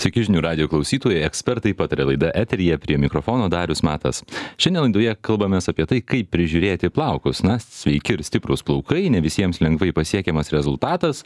Sveiki žinių radio klausytojai, ekspertai pataria laida eteryje, prie mikrofono Darius Matas. Šiandien laidoje kalbamės apie tai, kaip prižiūrėti plaukus. Na, sveiki ir stiprus plaukai, ne visiems lengvai pasiekiamas rezultatas,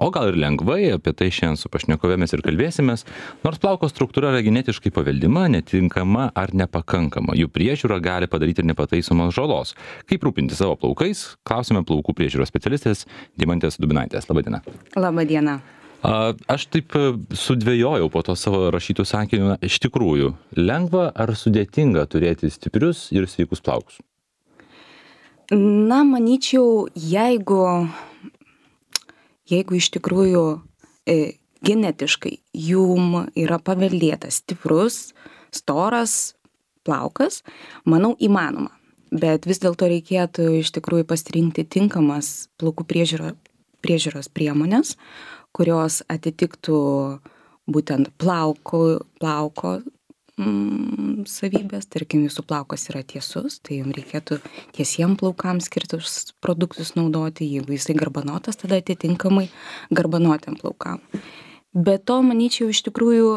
o gal ir lengvai, apie tai šiandien su pašnekovėmis ir kalbėsimės. Nors plauko struktūra yra genetiškai paveldima, netinkama ar nepakankama, jų priežiūra gali padaryti ir nepataisomos žalos. Kaip rūpinti savo plaukais, klausime plaukų priežiūros specialistės Deimantės Dubinaitės. Labadiena. Labadiena. Aš taip sudvejojau po to savo rašytų sakinių, iš tikrųjų, lengva ar sudėtinga turėti stiprius ir sveikus plaukus? Na, manyčiau, jeigu iš tikrųjų genetiškai jum yra paveldėtas stiprus, storas plaukas, manau, įmanoma. Bet vis dėlto reikėtų iš tikrųjų pasirinkti tinkamas plaukų priežiūros priemonės, kurios atitiktų būtent plauko savybės. Tarkim, jūsų plaukas yra tiesus, tai jums reikėtų tiesiem plaukams skirtus produktus naudoti. Jeigu jisai garbanotas, tada atitinkamai garbanotiem plaukam. Be to, manyčiau, iš tikrųjų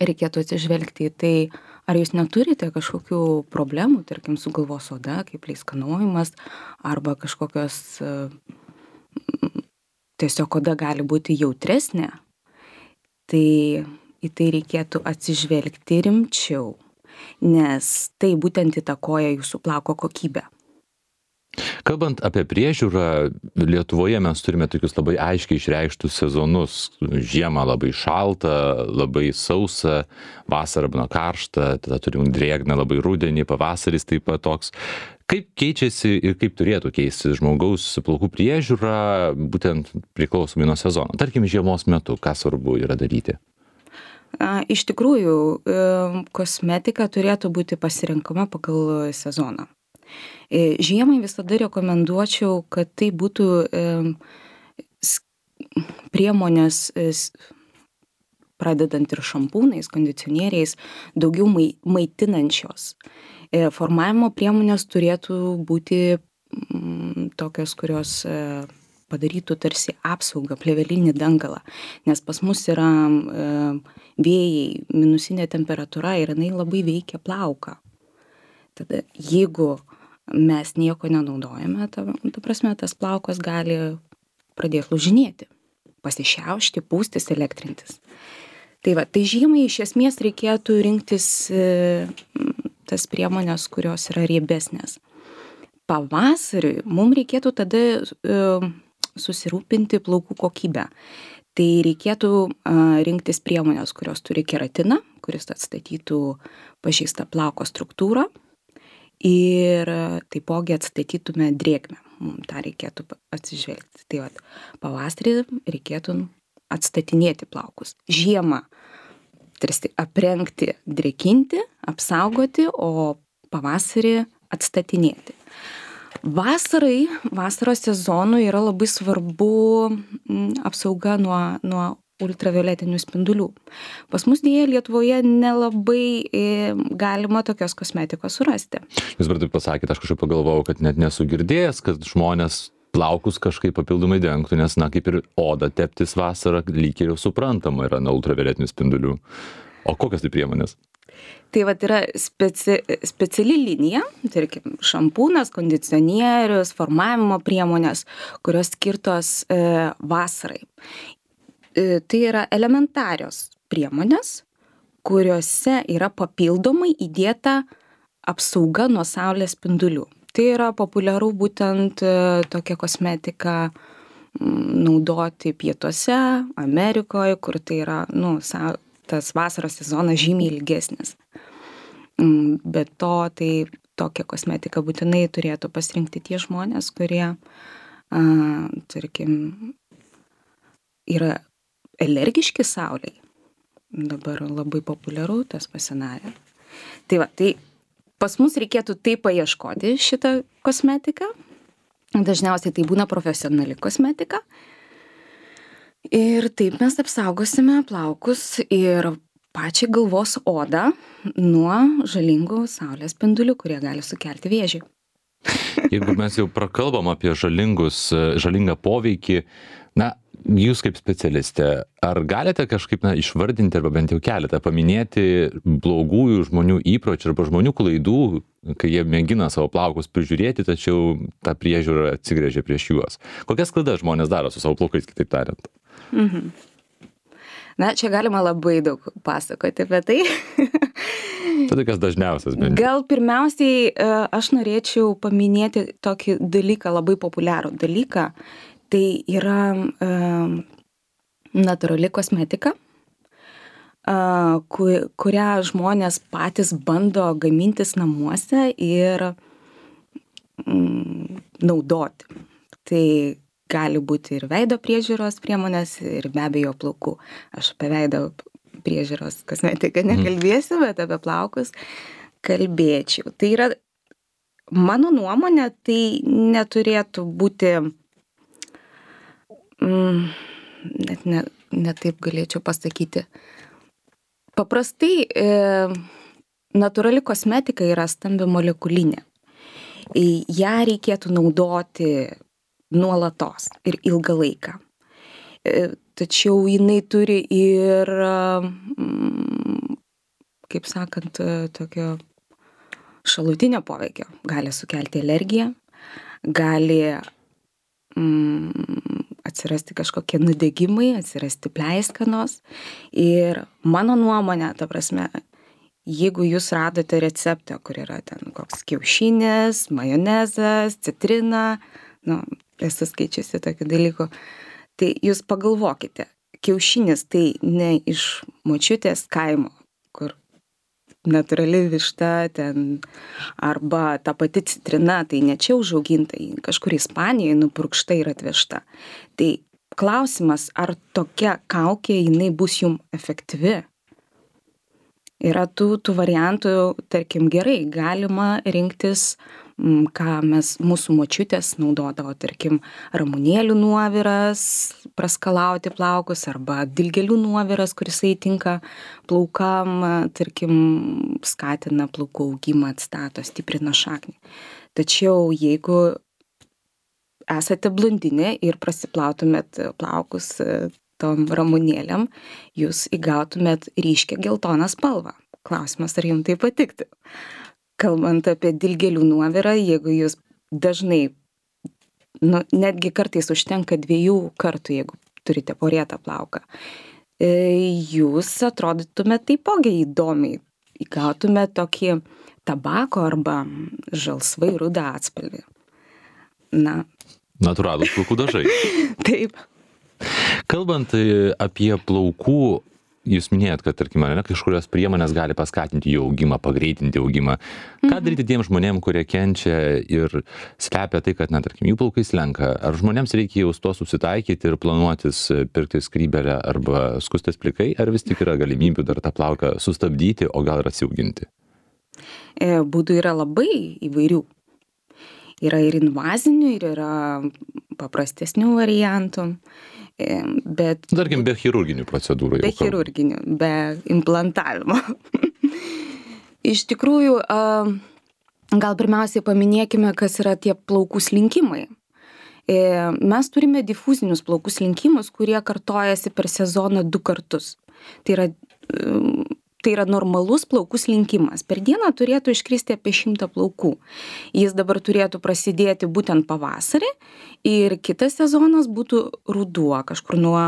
reikėtų atsižvelgti į tai, ar jūs neturite kažkokių problemų, tarkim, su galvos oda, kaip pleiskanojimas, arba kažkokios tiesiog oda gali būti jautresnė, tai į tai reikėtų atsižvelgti rimčiau, nes tai būtent įtakoja jūsų plauko kokybę. Kalbant apie priežiūrą, Lietuvoje mes turime tokius labai aiškiai išreikštus sezonus. Žiemą labai šalta, labai sausa, vasara būna karšta, tada turim drėgną labai rudenį, pavasaris taip pat toks. Kaip keičiasi ir kaip turėtų keisti žmogaus plaukų priežiūra, būtent priklausomai nuo sezono? Tarkim, žiemos metu, ką svarbu yra daryti? Iš tikrųjų, kosmetika turėtų būti pasirenkama pagal sezoną. Žiemai visada rekomenduočiau, kad tai būtų priemonės, pradedant ir šampūnais, kondicionieriais, daugiau maitinančios. Formavimo priemonės turėtų būti tokios, kurios padarytų tarsi apsaugą, plėvelinį dangalą, nes pas mus yra vėjai, minusinė temperatūra ir jinai labai veikia plauką. Tada jeigu mes nieko nenaudojame, ta prasme, tas plaukas gali pradėti lūžinėti, pasišiaušti, pūstis, elektrintis. Tai žiemai iš esmės reikėtų rinktis tas priemonės, kurios yra riebesnės. Pavasariui mums reikėtų tada susirūpinti plaukų kokybę. Tai reikėtų rinktis priemonės, kurios turi keratiną, kuris atstatytų pažeistą plauko struktūrą ir taipogi atstatytume drėgmę. Mums tą reikėtų atsižvelgti. Tai pavasarį reikėtų atstatinėti plaukus. Žiemą tarsi aprengti, drėkinti, apsaugoti, o pavasarį atstatinėti. Vasaros sezonui yra labai svarbu apsauga nuo ultravioletinių spindulių. Pas mus dėja Lietuvoje nelabai galima tokios kosmetikos surasti. Jūs dabar taip pasakėte, aš kažkaip pagalvojau, kad net nesu girdėjęs, kad žmonės plaukus kažkaip papildomai dengtų, nes, kaip ir odą teptis vasarą, lyg ir jau suprantama yra nuo ultravioletinių spindulių. O kokios tai priemonės? Tai yra speciali linija, tarkim, šampūnas, kondicionierius, formavimo priemonės, kurios skirtos vasarai. Tai yra elementarios priemonės, kuriuose yra papildomai įdėta apsauga nuo saulės spindulių. Tai yra populiaru būtent tokia kosmetika naudoti pietuose, Amerikoje, kur tai yra, tas vasaros sezonas žymiai ilgesnis. Be to, tai tokią kosmetiką būtinai turėtų pasirinkti tie žmonės, kurie, tarkim, yra alergiški saulei. Dabar labai populiaru tas pasidarė. Tai pas mus reikėtų taip paieškoti šitą kosmetiką. Dažniausiai tai būna profesionali kosmetika. Ir taip mes apsaugosime plaukus ir pačią galvos odą nuo žalingų saulės spindulių, kurie gali sukelti vėžį. Jeigu mes jau prakalbam apie žalingą poveikį, jūs kaip specialistė, ar galite kažkaip išvardinti arba bent jau keletą paminėti blogųjų žmonių įpročių arba žmonių klaidų, kai jie mėgina savo plaukus prižiūrėti, tačiau ta priežiūra atsigręžia prieš juos? Kokias klaidas žmonės daro su savo plaukais, kitaip tariant? Na, čia galima labai daug pasakoti apie tai. Tai tokias dažniausias bent. Gal pirmiausiai aš norėčiau paminėti tokį dalyką, labai populiarų dalyką. Tai yra natūrali kosmetika, kurią žmonės patys bando gamintis namuose ir naudoti. Tai gali būti ir veido priežiūros priemonės, ir be abejo plaukų. Aš apie veido priežiūros kosmetiką nekalbėsiu, bet apie plaukus kalbėčiau. Tai yra, mano nuomonė, tai neturėtų būti, net ne taip galėčiau pasakyti. Paprastai natūrali kosmetika yra stambi molekulinė. Ją reikėtų naudoti nuolatos ir ilgą laiką. Tačiau jinai turi ir, kaip sakant, tokio šalutinio poveikio. Gali sukelti alergiją, gali atsirasti kažkokie nudegimai, atsirasti pleiskanos. Ir mano nuomonė, ta prasme, jeigu jūs radote receptą, kur yra ten koks kiaušinis, majonezas, citrina, esu skaičiusi tokių dalykų, tai jūs pagalvokite, kiaušinis tai ne iš močiutės kaimo, kur natūrali višta ten, arba ta pati citrina, tai ne čia užauginta, kažkur Ispanijoje nupurkšta ir atvežta. Tai klausimas, ar tokia kaukė jinai bus jum efektyvi? Yra tų variantų, tarkim, gerai, galima rinktis, ką mūsų močiutės naudodavo, tarkim, ramunėlių nuoviras, praskalauti plaukus, arba dilgėlių nuoviras, kuris tinka plaukam, tarkim, skatina plaukų augimą, atstato, stiprina šaknį. Tačiau jeigu esate blondinė ir prasiplautumėt plaukus tom ramunėlėm, jūs įgautumėt ryškią geltoną spalvą. Klausimas, ar jums tai patiktų? Kalbant apie dilgėlių nuovirą, jeigu jūs dažnai, netgi kartais užtenka 2 kartų, jeigu turite porėtą plauką, jūs atrodytumėt taipogi įdomiai, įgautumėt tokį tabako arba žalsvai rudą atspalvį. Natūralūs plaukų dažai. Taip. Kalbant apie plaukų, jūs minėjot, kad, tarkim, kažkurios priemonės gali paskatinti jų augimą, pagreitinti augimą. Ką daryti tiem žmonėm, kurie kenčia ir slepia tai, kad, tarkim, jų plaukai slenka? Ar žmonėms reikia jau su to susitaikyti ir planuotis pirkti skrybėlę arba skustis plikai, ar vis tik yra galimybių dar tą plauką sustabdyti, o gal ir atsiauginti? Būdų yra labai įvairių. Yra ir invazinių, ir yra paprastesnių variantų. Bet tarkim, be chirurginių procedūrų. Be chirurginių, be implantavimo. Iš tikrųjų, gal pirmiausiai paminėkime, kas yra tie plaukų slinkimai. Mes turime difuzinius plaukų slinkimus, kurie kartojasi per sezoną 2 kartus. Tai yra normalus plaukų slinkimas. Per dieną turėtų iškristi apie 100 plaukų. Jis dabar turėtų prasidėti būtent pavasarį ir kitas sezonas būtų ruduo, kažkur nuo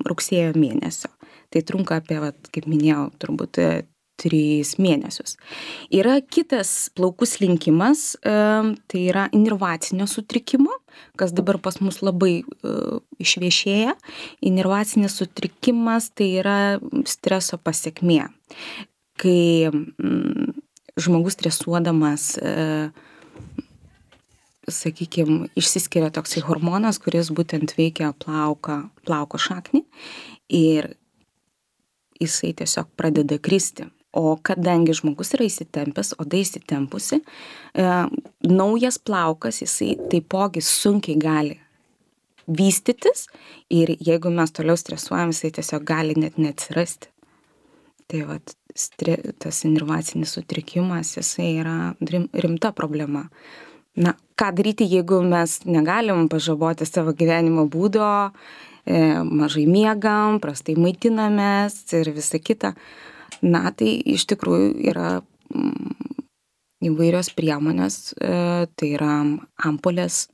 rugsėjo mėnesio. Tai trunka apie, kaip minėjau, turbūt 3 mėnesius. Yra kitas plaukų slinkimas, tai yra inervacinio sutrikimo, kas dabar pas mus labai išviešėja. Inervacinis sutrikimas tai yra streso pasekmė. Kai žmogus stresuodamas, sakykime, išsiskiria toksai hormonas, kuris būtent veikia plauko šaknį ir jisai tiesiog pradeda kristi. O kadangi žmogus yra įsitempęs, oda įsitempusi, naujas plaukas, jisai taipogi sunkiai gali vystytis ir jeigu mes toliau stresuojam, jisai tiesiog gali net neatsirasti. Tai tas inervacinis sutrikimas, jisai yra rimta problema. Ką daryti, jeigu mes negalim pažaboti savo gyvenimo būdo, mažai miegam, prastai maitinamės ir visa kita. Na, tai iš tikrųjų yra įvairios priemonės, tai yra ampulės,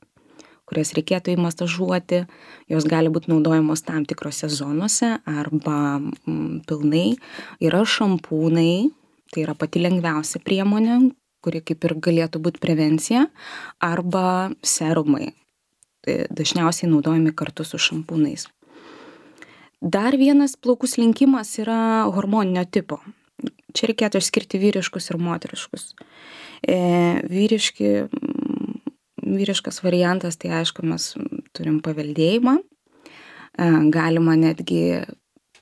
kurias reikėtų įmasažuoti, jos gali būti naudojamos tam tikrose zonose arba pilnai. Yra šampūnai, tai yra pati lengviausia priemonė, kuri kaip ir galėtų būti prevencija, arba serumai. Tai dažniausiai naudojami kartu su šampūnais. Dar vienas plaukų slinkimas yra hormoninio tipo. Čia reikėtų išskirti vyriškus ir moteriškus. Vyriškas variantas, tai aišku, mes turim paveldėjimą. Galima netgi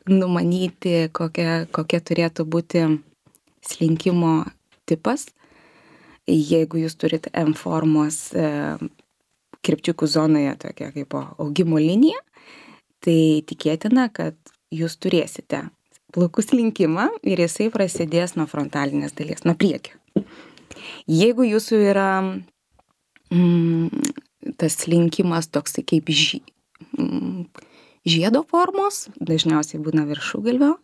numanyti, kokia turėtų būti slinkimo tipas. Jeigu jūs turite M formos kirpčiukų zonoje tokia kaip augimo linija, tai tikėtina, kad jūs turėsite plaukų slinkimą ir jisai prasidės nuo frontalinės dalies, nuo priekio. Jeigu jūsų yra tas slinkimas toks kaip žiedo formos, dažniausiai būna viršugalvio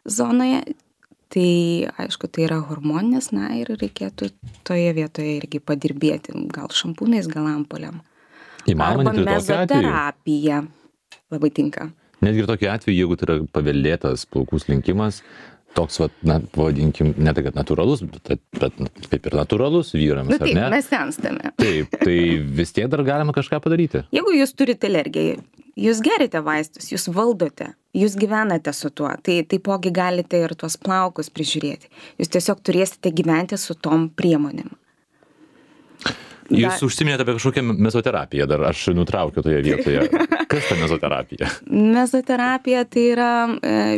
zonoje, tai aišku, tai yra hormoninės, na ir reikėtų toje vietoje irgi padirbėti, gal šampūnais, gal ampulėm. Įmanoma net ir tokiu atveju. Mezoterapija labai tinka. Netgi ir tokiu atveju, jeigu tai yra paveldėtas plaukų slinkimas, toks, na, pavadinkim, ne tai, kad natūralus, bet kaip ir natūralus vyrams, taip, ar ne? Mes senstame. Taip, tai vis tiek dar galima kažką padaryti. Jeigu jūs turite alergiją, jūs gerite vaistus, jūs valdote, jūs gyvenate su tuo, tai taipogi galite ir tuos plaukus prižiūrėti. Jūs tiesiog turėsite gyventi su tom priemonėm. Jūs užsiminėte apie kažkokią mezoterapiją, dar aš nutraukiu toje vietoje. Kas ta mezoterapija? Mezoterapija tai yra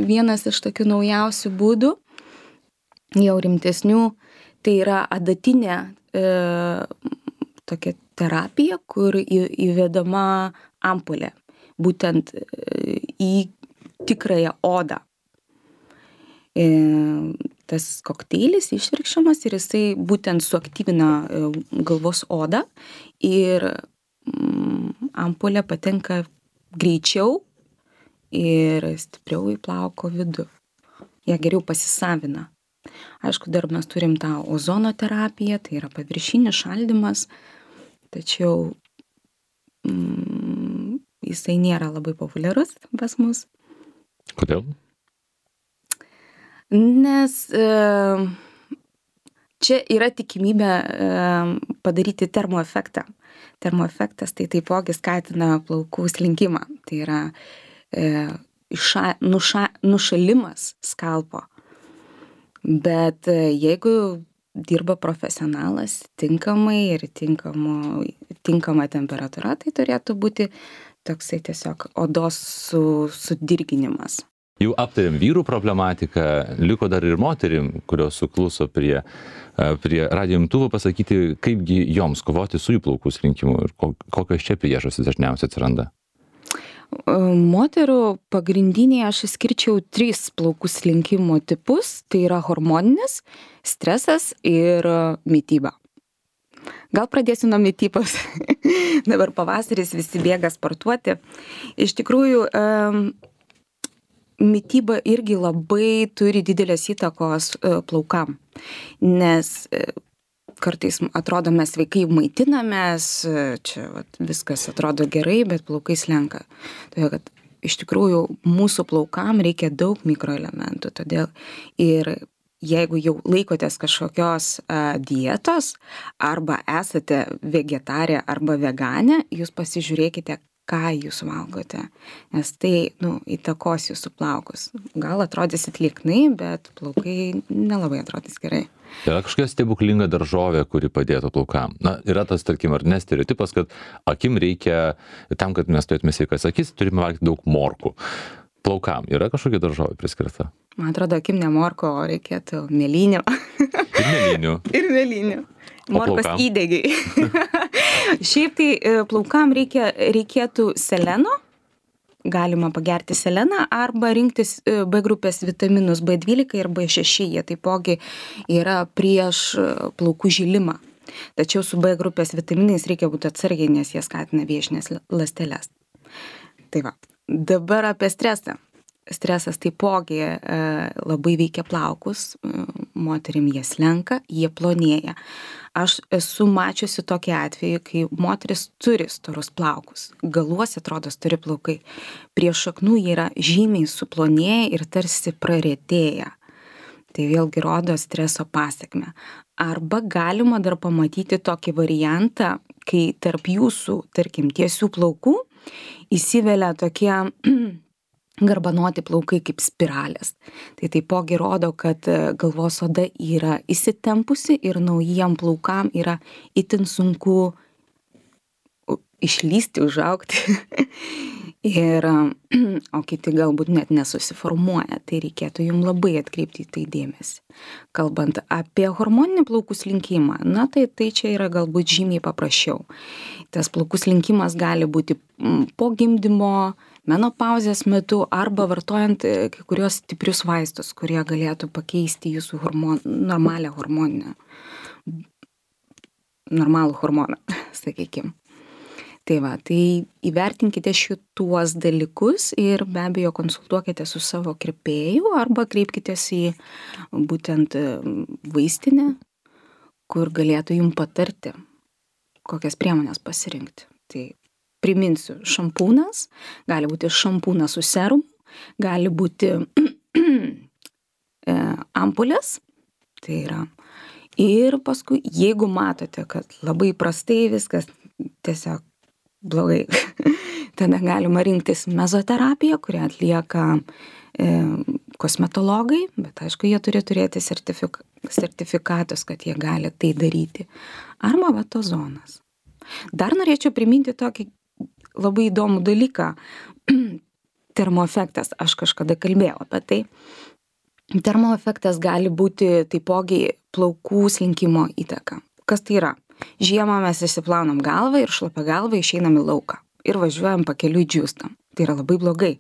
vienas iš tokių naujausių būdų, jau rimtesnių, tai yra adatinė tokia terapija, kur įvedama ampulė, būtent į tikrąją odą. Tas kokteilis išvirkščiamas ir jisai būtent suaktyvina galvos odą ir ampulė patenka greičiau ir stipriau į plauko vidų. Jie geriau pasisavina. Aišku, dar mes turim tą ozono terapiją, tai yra paviršinis šaldymas, tačiau jisai nėra labai populiarus pas mus. Kodėl? Nes čia yra tikimybė padaryti termoefektą. Termoefektas tai taipogi skatina plaukų slinkimą. Tai yra nušalimas skalpo. Bet jeigu dirba profesionalas tinkamai ir tinkama temperatūra, tai turėtų būti toksai tiesiog odos sudirginimas. Jau aptarėm vyrų problematiką, liko dar ir moterim, kurios sukluso prie radijo imtuvo, pasakyti, kaipgi joms kovoti su jų plaukų slinkimu ir kokios čia priežastys dažniausiai atsiranda. Moterų pagrindiniai aš išskirčiau 3 plaukų slinkimo tipus, tai yra hormoninis, stresas ir mityba. Gal pradėsiu nuo mitybos. Dabar pavasaris, visi bėga sportuoti. Iš tikrųjų, mityba irgi labai turi didelės įtakos plaukam, nes kartais atrodo mes sveikai maitinamės, čia viskas atrodo gerai, bet plaukai slenka. Todėl, kad iš tikrųjų mūsų plaukam reikia daug mikroelementų, todėl ir jeigu jau laikotės kažkokios dietos arba esate vegetarė arba veganė, jūs pasižiūrėkite, ką jūs valgote, nes tai įtakos jūsų plaukus. Gal atrodysit lieknai, bet plaukai nelabai atrodys gerai. Yra kažkokia stebuklinga daržovė, kuri padėtų plaukam. Na, yra tas, tarkim, ar ne stereotipas, kad akim reikia, tam, kad mes turėtume sveikas akis, turime valgyti daug morkų. Plaukam yra kažkokia daržovė priskirta? Man atrodo, akim ne morko, o reikėtų mėlynių. Ir mėlynių. Ir mėlynių. Morkos įdegiai. Šiaip tai plaukam reikėtų seleno, galima pagerti seleną arba rinktis B grupės vitaminus B12 ir B6, jie taipogi yra prieš plaukų žilimą. Tačiau su B grupės vitaminais reikia būti atsargiai, nes jie skatina vėžines ląsteles. Tai va. Dabar apie stresą. Stresas taipogi labai veikia plaukus, moterim jie slenka, jie plonėja. Aš esu mačiusi tokį atvejį, kai moteris turi storus plaukus, galuose atrodo stori plaukai, prie šaknų jie yra žymiai suplonėję ir tarsi praretėję. Tai vėlgi rodo streso pasekmę. Arba galima dar pamatyti tokį variantą, kai tarp jūsų, tarkim, tiesių plaukų įsivelia tokie garbanoti plaukai kaip spiralės. Tai taipogi rodo, kad galvos oda yra įsitempusi ir naujiem plaukam yra itin sunku išlysti, užaugti. O kiti galbūt net nesusiformuoja. Tai reikėtų jums labai atkreipti į tai dėmesį. Kalbant apie hormoninį plaukų slinkimą, tai čia yra galbūt žymiai paprasčiau. Tas plaukų slinkimas gali būti po gimdymo, menopauzės metu arba vartojant kai kurios stiprius vaistus, kurie galėtų pakeisti jūsų normalų hormoną, sakykime. Tai įvertinkite šituos dalykus ir be abejo konsultuokite su savo kirpėju arba kreipkitės į būtent vaistinę, kur galėtų jums patarti, kokias priemonės pasirinkti. Tai priminsiu, šampūnas, gali būti šampūnas su serumu, gali būti ampulės, tai yra. Ir paskui, jeigu matote, kad labai prastai viskas, tiesiog blogai, tada galima rinktis mezoterapiją, kurią atlieka kosmetologai, bet aišku, jie turi turėti sertifikatus, kad jie gali tai daryti. Arba vatozonas. Dar norėčiau priminti tokį labai įdomų dalyką. Termoefektas, aš kažkada kalbėjau apie tai. Termoefektas gali būti taipogi plaukų slinkimo įtaka. Kas tai yra? Žiemą mes išsiplaunam galvą ir šlapia galvą išeinam į lauką ir važiuojam pakeliui džiūstam. Tai yra labai blogai.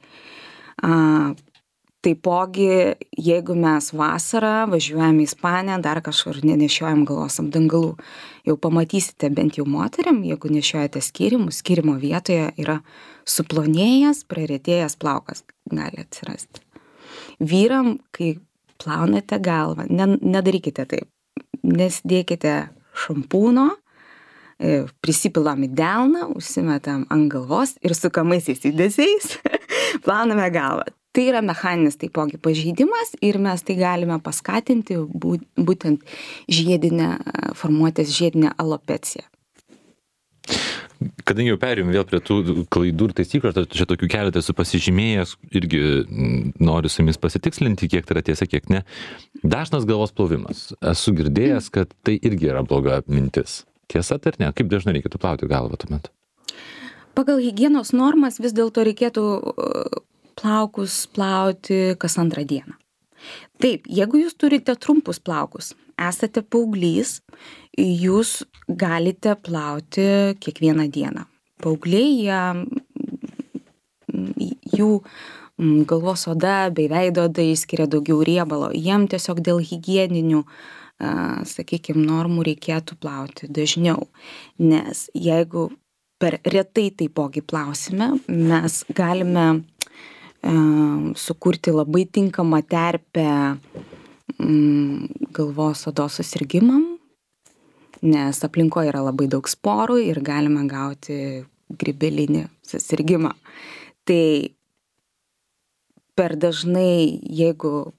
Taipogi, jeigu mes vasarą važiuojam į Ispaniją, dar kažkur nenešiojam galvos apdangalų, jau pamatysite bent jau moteriam, jeigu nešiojate skyrimo vietoje yra suplonėjęs, praretėjęs plaukas gali atsirasti. Vyram, kai plaunate galvą, nedarykite taip, nesidėkite šampūno, prisipilam į delną, užsimetam ant galvos ir sukamaisiais judesiais plauname galvą. Tai yra mechaninis taipogi pažeidimas ir mes tai galime paskatinti būtent formuotis žiedinę alopeciją. Kadangi jau perėjom vėl prie tų klaidų ir taisyklių, čia tokių keletą esu pasižymėjęs, irgi noriu su jumis pasitikslinti, kiek tai yra tiesa, kiek ne. Dažnas galvos plovimas. Esu girdėjęs, kad tai irgi yra bloga mintis. Tiesa, ar ne? Kaip dažnai reikėtų plauti galvą tuomet? Pagal higienos normas vis dėlto reikėtų plaukus plauti kas antrą dieną. Taip, jeigu jūs turite trumpus plaukus, esate paauglys, jūs galite plauti kiekvieną dieną. Paaugliai, jų galvos oda bei veido oda išskiria daugiau riebalo. Jiem tiesiog dėl higieninių, sakykime, normų reikėtų plauti dažniau. Nes jeigu per retai taipogi plausime, mes galime sukurti labai tinkamą terpę galvos odos susirgimam, nes aplinkoje yra labai daug sporų ir galime gauti grybelinį susirgimą. Tai per dažnai, jeigu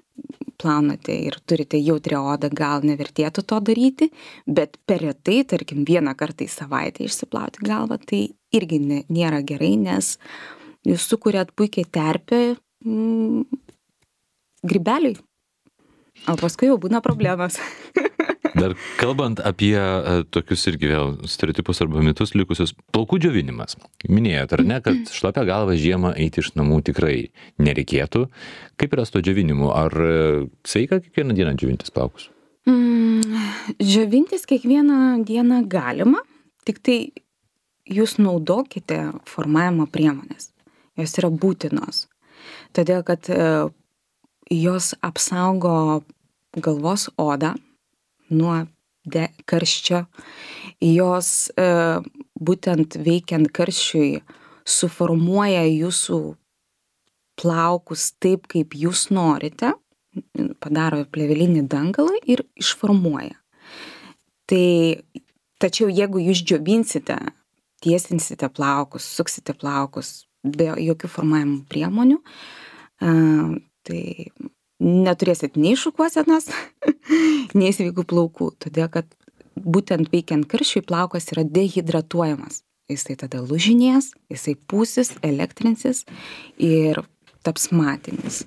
plaunate ir turite jautrią odą, gal nevertėtų to daryti, bet per retai, tarkim, vieną kartą į savaitę išsiplauti galvą, tai irgi nėra gerai, nes jūs sukuriat puikiai terpę grybeliui, o paskui jau būna problemas. Dar kalbant apie tokius irgi vėl stereotipus arba mitus likusius, plaukų džiovinimas. Minėjot, ar ne, kad šlapia galva žiemą eiti iš namų tikrai nereikėtų. Kaip yra su to džiovinimu? Ar sveika kiekvieną dieną džiovintis plaukus? Džiovintis kiekvieną dieną galima, tik tai jūs naudokite formavimo priemonės. Jos yra būtinos. Todėl, kad jos apsaugo galvos odą nuo karščio. Jos būtent veikiant karščiui suformuoja jūsų plaukus taip, kaip jūs norite, padaro plėvelinį dangalą ir išformuoja. Tačiau jeigu jūs džiovinsite, tiesinsite plaukus, suksite plaukus be jokių formavimo priemonių, tai neturėsit nei šukuosenos, nei sveikų plaukų, todėl kad būtent veikiant karščiui plaukas yra dehidratuojamas. Jisai tada lūžinės, jisai pūsis, elektrinsis ir taps matinis.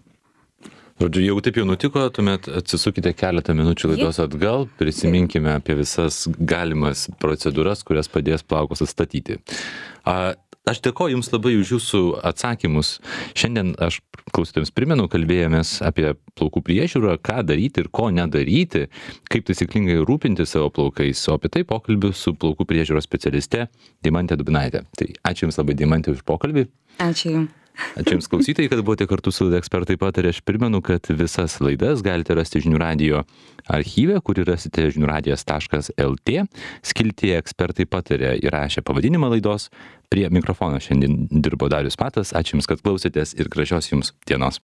Žodžiu, jeigu taip jau nutiko, tuomet atsisukite keletą minučių laidos atgal, prisiminkime apie visas galimas procedūras, kurias padės plaukus atstatyti. Aš dėkoju Jums labai už Jūsų atsakymus. Šiandien aš klausytojams primenu, kalbėjomės apie plaukų priežiūrą, ką daryti ir ko nedaryti, kaip taisyklingai rūpinti savo plaukais, o apie tai pokalbiu su plaukų priežiūros specialiste Deimante Dubinaite. Tai ačiū Jums labai, Deimante, už pokalbį. Ačiū Jums. Ačiū Jums klausytojai, kad buvote kartu su laida Ekspertai pataria. Aš primenu, kad visas laidas galite rasti Žinių radijo archyve, kurį rasite žiniųradijas.lt. Skiltyje Ekspertai pataria įrašė pavadinimą laidos. Prie mikrofono šiandien dirbo Darius Matas. Ačiū Jums, kad klausėtės ir gražios Jums dienos.